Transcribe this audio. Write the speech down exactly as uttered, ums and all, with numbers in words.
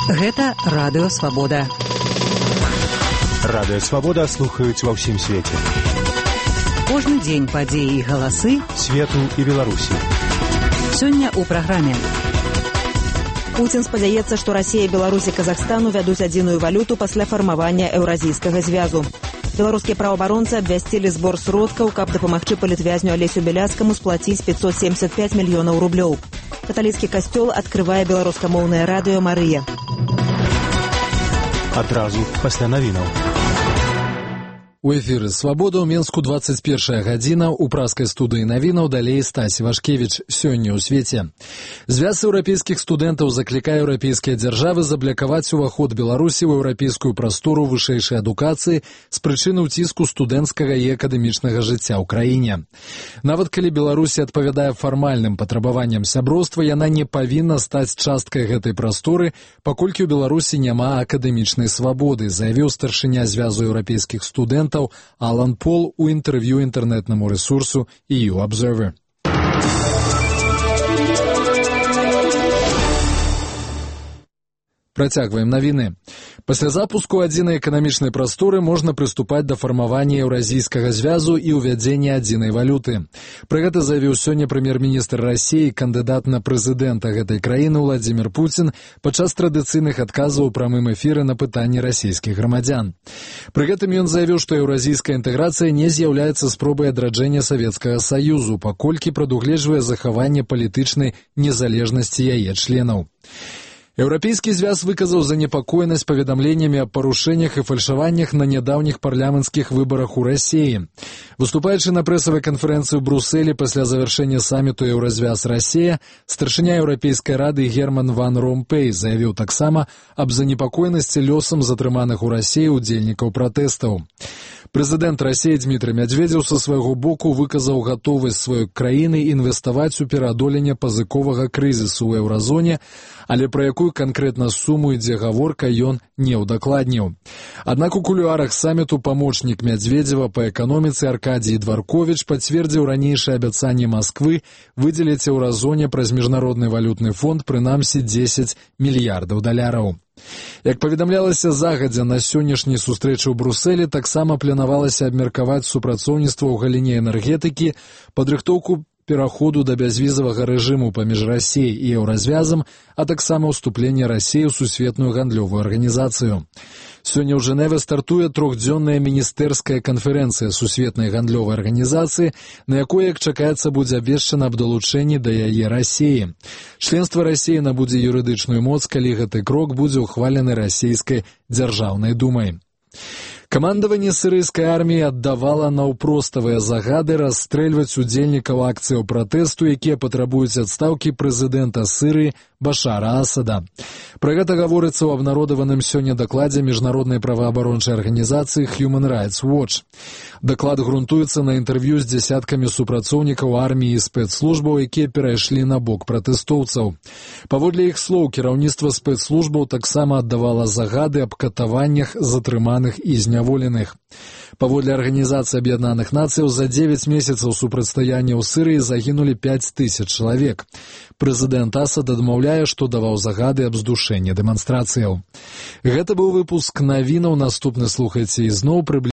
Гэта Радыё Свабода. Радыё Свабода слухаюць ва ўсім свеце. Кожны дзень падзеі і галасы свету і Беларусі. Сёння ў праграме. Пуцін спадзяецца, што Расія, Беларусь і Казахстан увядуць адзіную валюту пасля фармавання еўразійскага звязу. Беларускія праваабаронцы абвясцілі збор сродкаў, каб дапамагчы палітвязню Алесю Беляцкаму сплаціць пятьсот семьдесят пять мільёнаў рублёў. Каталіцкі касцёл адкрывае беларускамоўнае радыё «Марыя». Адразу пасля навінаў. У эфіры «Свабода» ў Менску двадцать першая гадзіна, у праскай студыі навінаў далей Стась Вашкевіч. Сёння ў свеце. Звяз еўрапейскіх студэнтаў заклікае еўрапейскія дзяржавы заблакаваць уваход Беларусі ў еўрапейскую прастору вышэйшай адукацыі з прычыны ўціску студэнцкага і акадэмічнага жыцця ў краіне. Нават калі Беларусі адпавядае фармальным патрабаванням сяброўства, яна не павінна стаць часткай гэтай прасторы, паколькі ў Беларусі няма акадэмічнай свабоды, заявіў старшыня звязу еўрапейскіх студэнтаў Алан Пол у інтэрв'ю інтэрнэтнаму рэсурсу и ю Observer. Працягваем навіны. Пасля запуску адзінай эканамічнай прасторы можна прыступаць да фармавання еўразійскага звязу і ўвядзення адзінай валюты. Пра гэта заявіў сёння прэм'ер-міністр Расіі, кандыдат на прэзідэнта гэтай краіны Владзімір Пуцін падчас традыцыйных адказаў у прамым эфіры на пытанні расійскіх грамадзян. Пры гэтым ён заявіў, што еўразійская інтэграцыя не з'яўляецца спробай адраджэння Савецкага Саюзу, паколькі прадугледжвае захаванне палітычнай незалежнасці яе членаў. Еўрапейскі звяз выказаў занепакоенасць паведамленнямі аб парушэннях і фальшаваннях на нядаўніх парламенцкіх выбарах у Расіі. Выступаючы на прэсавай канферэнцыі ў Брусэлі пасля завяршэння саміту Еўразвяз-Расія, старшыня Еўрапейскай рады Герман ван Ромпэй заявіў таксама аб занепакоенасці лёсам затрыманых у Расіі ўдзельнікаў пратэстаў. Прэзідэнт Расіі Дмітрый Мядзведзеў са свайго боку выказаў гатовасць сваёй краіны інвеставаць у пераадоленне пазыковага крызісу ў еўразоне, але пра якую канкрэтна суму ідзе гаворка, ён не ўдакладніў. Аднак у кулуарах саміту памочнік Мядзведзева па эканоміцы Аркадій Дварковіч пацвердзіў ранейшае абяцанне Масквы выдзеліць еўразоне праз міжнародны валютны фонд прынамсі дзесяць мільярдаў даляраў. Як паведамлялася загадзя, на сённяшняй сустрэчы ў Брусэлі таксама планавалася абмеркаваць супрацоўніцтва ў галіне энергетыкі, падрыхтоўку пераходу да бязвізавага рэжыму паміж Расіяй і Еўразвязам, а таксама ўступленне Расіі ў сусветную гандлёвую арганізацыю. Сёння ў Жэневе стартуе трохдзённая міністэрская канферэнцыя сусветнай гандлёвай арганізацыі, на якой, як чакаецца, будзе абвешчана аб далучэнні да яе Расіі. Членства Расіі набудзе юрыдычную моц, калі гэты крок будзе ўхвалены расійскай дзяржаўнай думай. Камандаванне сірыйскай арміі аддавала наўпроставыя загады расстрэльваць удзельнікаў акцыяў пратэсту, якія патрабуюць адстаўкі прэзідэнта Сірыі Башара Асада. Пра гэта гаворыцца ў абнародаваным сёння дакладзе міжнароднай праваабарончай арганізацыі Human Rights Watch. Даклад грунтуецца на інтэрв'ю з дзясяткамі супрацоўнікаў арміі і спецслужбаў, якія перайшлі на бок пратэстоўцаў. Паводле іх слоў, кіраўніцтва спецслужбаў таксама аддавала загады аб катаваннях затрыманых і зняволеных. Паводле Арганізацыі Аб'яднаных Нацыяў за дзевяць месяцаў супрацьстаяння ў Сірыі загінулі пяць тысяч чалавек. Прэзідэнт Асад адмаўляе, што даваў загады аб здушэнні дэманстрацыяў. Гэта быў выпуск навінаў, наступны слухайце ізноў прыблізна